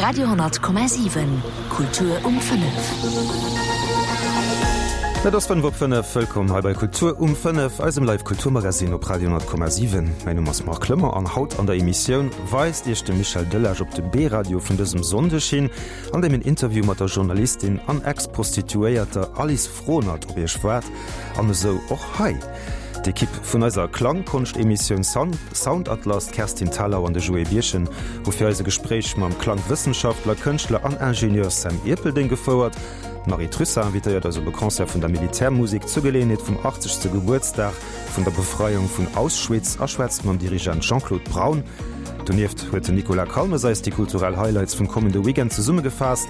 Radio,7 Kultur um 5. Et ass 5 op 5. Wëllkomm hei bei Kultur um 5, eisem Live Kulturmagazin op Radio 10,7. Mäin Numm ass Marc Lömmer an haut an der Emissioun weist Iech de Michel Delage op de B-Radio vun dësem Sonndeg hin, an deem en Interview mat der Journalistin an Ex-Prostituéierter Alice Frohnert op Iech waart. An esou och hei d'Ekipp vun eiser Klangkonscht-Emissioun Soundatlas, d'Kerstin Thalau an de Joé Birchen, hu fir eis e Gespréich mam Klangwëssenschaftler, Kënschtler an Ingenieur Sam Ierpeldeng gefouert. D'Marie Trussart invitéiert eis op e Concert vun der Militärmusek zur Geleeënheet vum 80. Gebuertsdag vun der Befreiung vun Ausschwitz a schwätzt mam Dirigent Jean-Claude Braun. Donieft huet den Nicolas Calmes eis déi kulturell Highlights vum kommende Weekend zesummegefaasst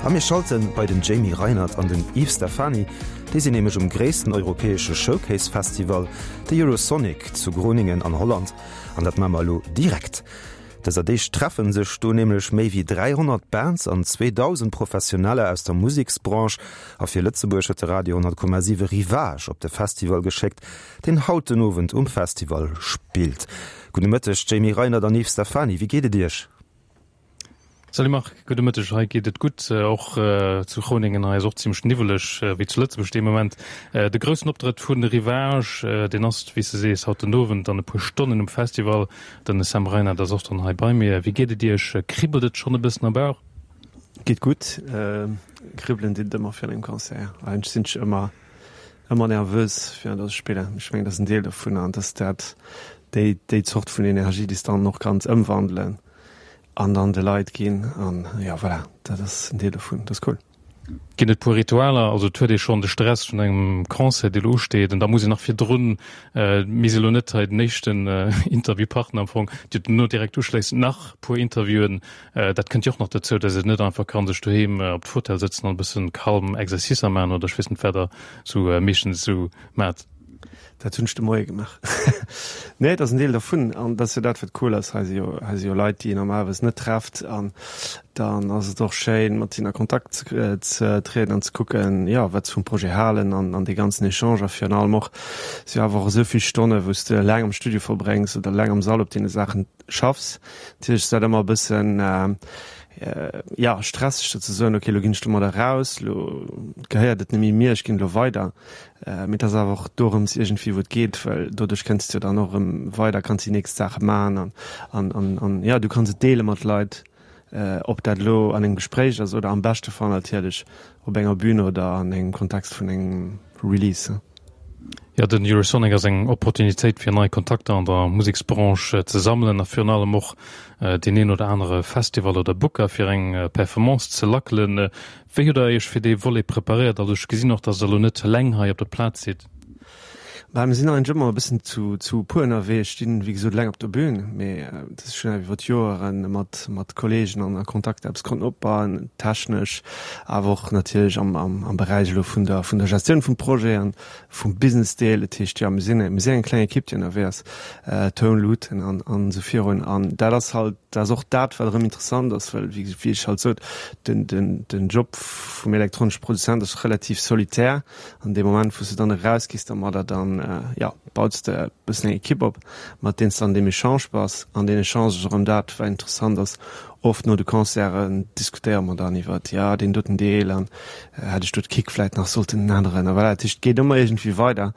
a mir schalte bei den Jamie Reinert an den Yves Stephany. Déi sinn nämlech um gréissten europäesche Showcase-Festival, de Eurosonic zu Groningen an Holland. An dat maache mer elo direkt. Dëser Deeg treffe sech do nämlech méi wéi 300 Bands an 2.000 Professioneller aus der Museksbranche. A fir Lëtzebuerg huet de Radio 10,7 Ryvage op de Festival geschéckt, deen haut den Owend um Festival spillt. Gudde Mëtteg Jamie Reinert an Yves Stephany, wéi geet et Iech? Salut Marc, gudde Mëtteg. Hei geet et gutt, och zu Groningen. Hei ass och zimmlech niwweleg wéi zu Lëtzebuerg dee Moment. De groussen Optrëtt vu Ryvage, deen ass, wéi s de sees, haut den Owend an e puer Stonnen um Festival. Den Sam Reinard ass och dann hei bei mir. Wéi geet et Iech? Kribbelt et schonn e bëssen am Bauch? Geet gutt. Kribbelen deet et ëmmer virun engem Concert. Eigentlech sinn ech ëmmer ëmmer nervös virun der ech spillen. Ech mengen, dat ass en Deel dovun an dass dat déi déi Zort vun Energie, déi s de dann och kanns ëmwandelen an dann de Leit ginn an jo voilà, dat ass en Deel dovun, dat ass cool. Ginn et puer Ritualer? Also et huet ee schonn de Stress vun engem Concert, dee elo usteet an da muss een nach virdrun, mir si elo net hei den éischten Interviewpartner am Fong, Dir hutt elo direkt uschléissend nach puer Interviewen, dat kënnt jo och nach dozou, datt een net einfach ka sech doheem op d'Fauteuil sëtzen an e bëssen calm Exercicer maachen oder ech weess net wat der sou meeschtens esou maacht. Dat hunn ech de Moie gemaach. Nee, et ass en Deel dervun. An dat ass jo dat, wat cool ass. Hei si jo, hei si jo Leit, déi een normalerweis net trefft. An dann ass et och schéin, mat hinnen a Kontakt ze, ze trieden an ze kucken, jo, wat se vum Projet halen an, an dee ganzen Echange. A virun allem och, et si jo awer och esou vill Stonne, wou s de eleng am Studio verbréngs oder eleng am Sall op deene Saachen schaffs. Natierlech ass dat ëmmer e bëssen, jo, stresseg, dat ze soen, okay, elo ginn ech domadder eraus, elo gehéiert et net méi mir, ech ginn elo weider. Mee et ass awer och dorëms iergendwéi wou et geet, well doduerch kënns de jo dann och erëm weider, kanns déi nächst Saache maachen an, an, an, an jo, du kanns et deele mat Leit, ob dat elo an engem Gespréich ass oder am beschte Fall natierlech op enger Bühn oder an engem Kontext vun engem Release. Jo, den Eurosonic ass eng Opportunitéit fir nei Kontakter an der Museksbranche ze sammelen a virun allem och deen een oder anere Festival oder Booker fir eng Performance ze lackelen. Wéi hutt der Iech fir dee Volet preparéiert? Also ech gesinn och, dass der elo net eleng hei op der Plaz sidd. Bah, mir sinn eigentlech ëmmer e bëssen zu zu puer ënnerwee. Ech stinn, wéi gesot, eleng op der Bühn, mee dat ass schonn iwwer d'Joere mat mat Kolleegen an a Kontakt eppes konnten opbauen, technesch, awer och natierlech am am am Beräich elo vun der vun der Gestioun vum Projet an vum Business-Deel. Dat heescht, jo, mir sinn mir sinn eng kleng Ekipp, déi ënnerwee ass, Toun, Luuten an an esou virun. An dat ass halt Dat ass och dat, wat erëm interessant ass, well, wéi ech halt sot, den, den, den Job vum elektronesche Produzent ass relativ solitär. An dee Moment, wou s de dann erausgees dermadder, dann, jo, baus de e bëssen eng Ekipp op, mat deenen s de an deem Echange bass. An deen Echange ass erëm dat, wat interessant ass. Oft no de Concerten diskutéiere mer dann iwwert, jo, deen doten Deel an hätt ech do d'Kick vläit nach sollten änneren a voilà. Dat heescht, et geet ëmmer iergendwéi weider.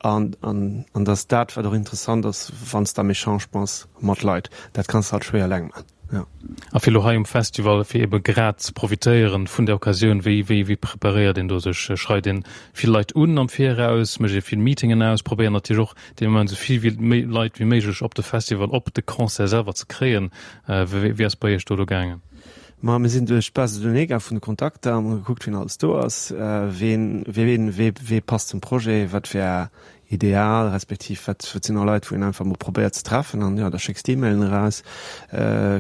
An, an, an dat ass dat, wat och interessant ass, wann s de am Echange bass mat Leit. Dat kanns de halt schwéier eleng man, jo. A fir elo hei um Festival, fir ebe grad ze profitéieren vun der Occasioun, wéi, wéi, wéi preparéiert een do sech? Schreift een vill Leit un am Viraus, mécht ee vill Meetingen aus, probéiert natierlech och dee Moment esou vill wéi méi Leit wéi méiglech op de Festival, op de Concert selwer ze kréien. Wéi, wéi ass bei Iech do elo gaangen? Ma mir sinn duerch d'Base de données gaang vun de Kontakter, hunn gekuckt, wien alles do ass, ween, ween, wee, wee passt zum Projet, wat wär ideal, respektiv wat, wat sinn och Leit, wou een einfach mol probéiert ze treffen. An jo, da schécks de E-Mailen eraus,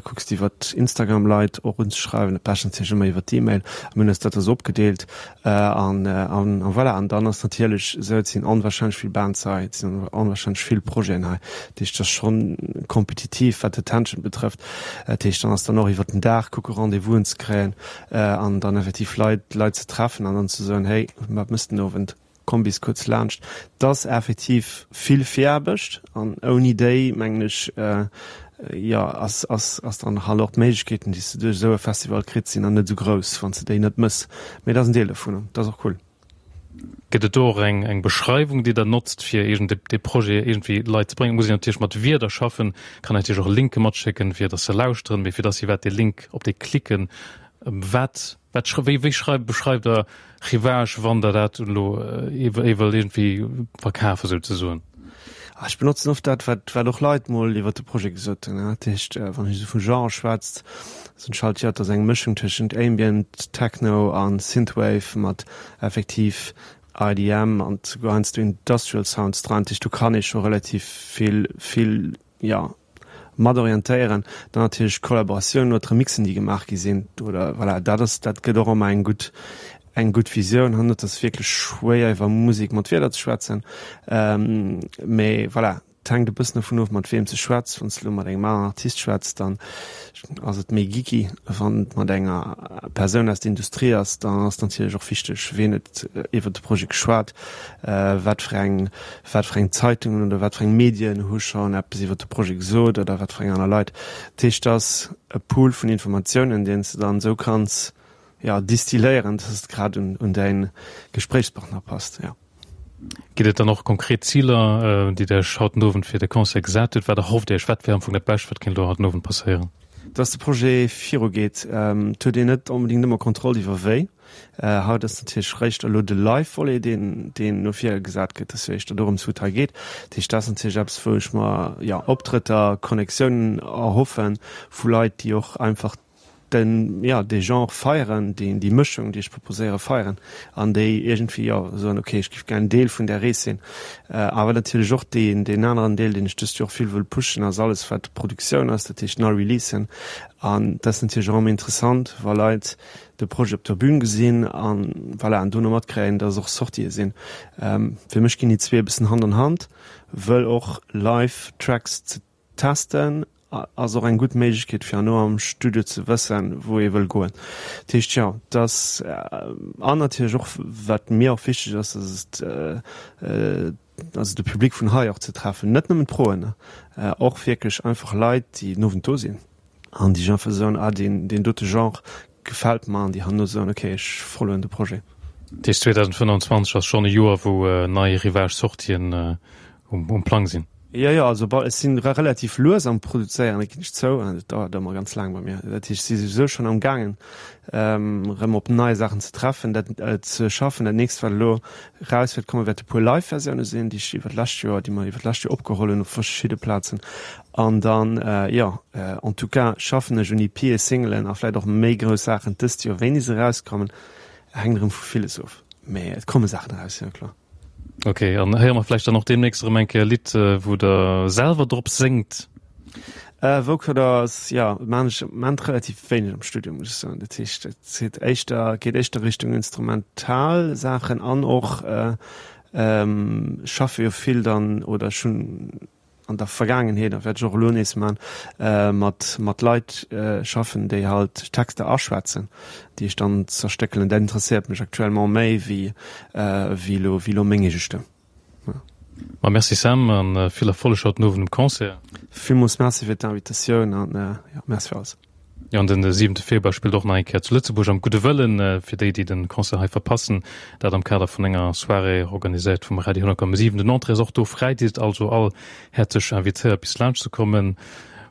kucks iwwer Instagram Leit och unzeschreiwen, dat bescht natierlech ëmmer iwwer d'E-Mail. A mir hunn eis dat da sou opgedeelt an, an, a voilà. An dann ass natierlech esou, et sinn onwahrscheinlech vill Bands hei, et sinn onwahrscheinlech vill Projeten hei, dat heescht, et ass schonn kompetitiv, wat d'Attention betrëfft. Dat heescht, dann ass dann och iwwer den Dag kucke Rendez-vousen ze kréien an dann effektiv Leit, Leit ze treffen an dann ze soen, hey, wat mëss den Owend, komm bis kuerz laanscht. Dat ass effektiv vill Viraarbecht an ouni déi, mengen ech,. Jo, ass, ass, ass dann halt och d'Méiglechkeeten, déi s de duerch esou e Festival kritt, sinn dann net esou grouss, wann s de déi net mëss. Mee dat ass en Deel dovun an dat ass och cool. Gëtt et do och eng, eng Beschreiwung, déi Der notzt, fir iergend dee Projet iergendwéi Leit ze bréngen? Muss een natierlech mat Wierder schaffen, kann natierlech och Linke matschécken, fir datt se lauschteren, mee fir datt si iwwerhaapt dee Link, op dee klicken, wat, wat, wéi, wéi schreift, beschreift Der Rivage, wann Der dat elo ee wëllt iergendwéi verkafen souzesoen? Ech benotzen oft dat, wat, wat och Leit mol iwwer de Projet gesot hunn. Dat heescht, wann ech esou vu Genre schwätzt, soen ech halt, jo, et ass eng Mëschung tëschent Ambient, Techno a Synthwave mat effektiv IDM an souguer heiansdo Industrial Sounds dran. Dat heescht, do kann ee scho relativ vill, vill, jo, mat orientéieren. Dann natierlech d'Kollaboratiounen oder d'Remixen, déi gemaach gi sinn oder voilà, dat ass, dat gëtt och ëmmer eng gutt, eng gutt Visioun. An et ass wierklech schwéier iwwer Musek mat Wierder ze schwätzen, mee voilà, et hänkt e bëssen dovun of, mat weem s de schwätz. Wann s de elo mat engem aneren Artist schwätz, dann ass et méi geeky. Wann et mat enger Persoun aus der Industrie ass, dann ass natierlech och wichteg, ween huet iwwer de Projet geschwat, wat fir eng wat fir eng Zeitungen oder wat fir eng Medien hu schonn eppes iwwer de Projet gesot oder wat fir eng aner Leit. Dat heescht, et ass e Pool vun Informatiounen, deen s de dann esou kanns, jo, distilléieren, dass et grad un däi Gespréichspartner passt, jo. Ginn et dann och konkret Ziler, déi Der Iech haut den Owend fir de Concert gesat hutt? Wat erhofft Dir Iech? Wat wär am Fong dat Bescht, wat kéint elo haut den Owend passéieren? Dass de Projet virugeet. Et huet een net onbedéngt ëmmer Kontroll iwwer wéi. Haut ass natierlech réischt elo de Live-Volet, deen, deen no vir gesat gëtt, dass jo éischter dorëms, wou et hei geet. Dat heescht, dat ass natierlech eppes, wou ech mer, jo, Optrëtter, Connectiounen erhoffen vu Leit, déi och einfach den, jo, dee Genre feieren, déi, déi Mëschung, déi ech proposéiere, feieren an déi iergendwéi, jo, soen, okay, ech géif gär en Deel vun där Rees sinn. Awer natierlech och deen, deen aneren Deel, deen ech dëst Joer och vill wëll pushen, ass alles, wat Produktioun ass, dat heescht nei Releasen. An dat ass natierlech och ëmmer interessant, wa Leit de Projet op der Bühn gesinn an voilà, an dono matkréien, dass och Sortië sinn. Fir mech ginn déi zwee e bëssen Hand an Hand, wëll och live Tracks ze testen ass och eng gutt Méiglechkeet fir herno am Studio ze wëssen, wou ee wëll goen. Dat heescht jo, dass an natierlech och wat mir och wichteg ass, dass et also de Public vun hei och ze treffen, net nëmmen d'Proen, och wierklech einfach Leit, déi den Owend do sinn. An déi einfach soen, ah deen, deen dote Genre gefält mer an déi herno soen, okay ech followen de Projet. Dat heescht 2025 ass schonn e Joer wou nei Rivage-Sortien um Plang sinn? Jo, jo, also bon ech sinn relativ lues am Produzéieren, dat ginn ech zou, dat dauert ëmmer ganz laang bei mir. Dat heescht ech si souwisou schonn am gaangen erëm op nei Saachen ze treffen, dat ze schaffen. Dat nächst wat elo raus wäert kommen, wäerte puer Live-Versioune sinn, déi ech iwwer d'lescht Joer, déi mer iwwer d'lescht Joer opgeholl hunn op verschidde Plazen. An dann, jo, en tout cas schaffen ech un EPe, Singlen a vläit och méi grouss Saachen dëst Joer, wéini se erauskommen, hänkt erëm vu villes of, mee et komme Saachen eraus, jo kloer. Ok, an héiere mer vläicht dann och deemnächst erëm eng Kéier e Lidd, wou Der selwer drop séngt? Vocoder ass, jo, maan ech am Moment relativ wéineg am Studio, muss ech soen. Dat heescht, et geet éischter, geet éischter Richtung instrumental Saachen an och schaffe jo vill dann, oder ech hunn an der Vergaangenheet, a wäert ech och elo nees man, mat mat Leit schaffen, déi halt Texter aschwätzen, déi ech dann zerstéckelen. Dat interesséiert mech actuellement méi wéi wéi elo wéi elo meng eege Stëmm. Ma merci Sam an vill Erfolleg haut den Owend um Concert. Villmools Merci fir d'Invitatioun an jo, Merci fir alles. Jo, an den siwente Februar spillt och nach eng Kéier zu Lëtzebuerg am Gudde Wëllen, fir déi, déi den Concert hei verpassen. Dat am Kader vun enger Soirée organiséiert vum Radio 10,7. Den Entrée ass och do fräi, Dir sidd also all häerzlech invitéiert bis laanscht ze kommen.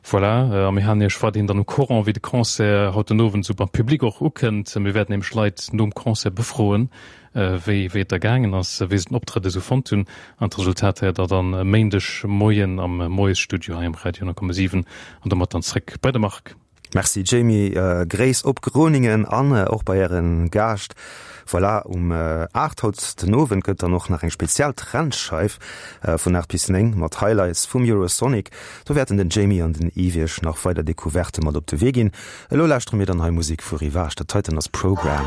Voilà, a mir halen Iech weiderhin dann au courant, wéi de Concert haut den Owend esou beim Public och ukënnt. Mir wäerten nämlech Leit nom Concert befroen, wéi wéi et da gaangen ass, wéi se den Optrëtt esou fonnt hunn. An d'Resultat héiert der dann e Méindeg Moien am Moiesstudio hei um Radio 10,7. An domat dann zréck bei de Marc. Merci Jamie, Gréiss op Groningen an och bei ären Gaascht. Voilà, um 8 haut den Owend gëtt dann och nach eng spezial Trendscheif vun 8 bis 9 mat Highlights vum Eurosonic. Do wäerten den Jamie an den Yves iech nach weider Decouverte mat op de Wee ginn. Elo lauschtere mir dann hei Musek vu Rivage, dat heiten ass Program.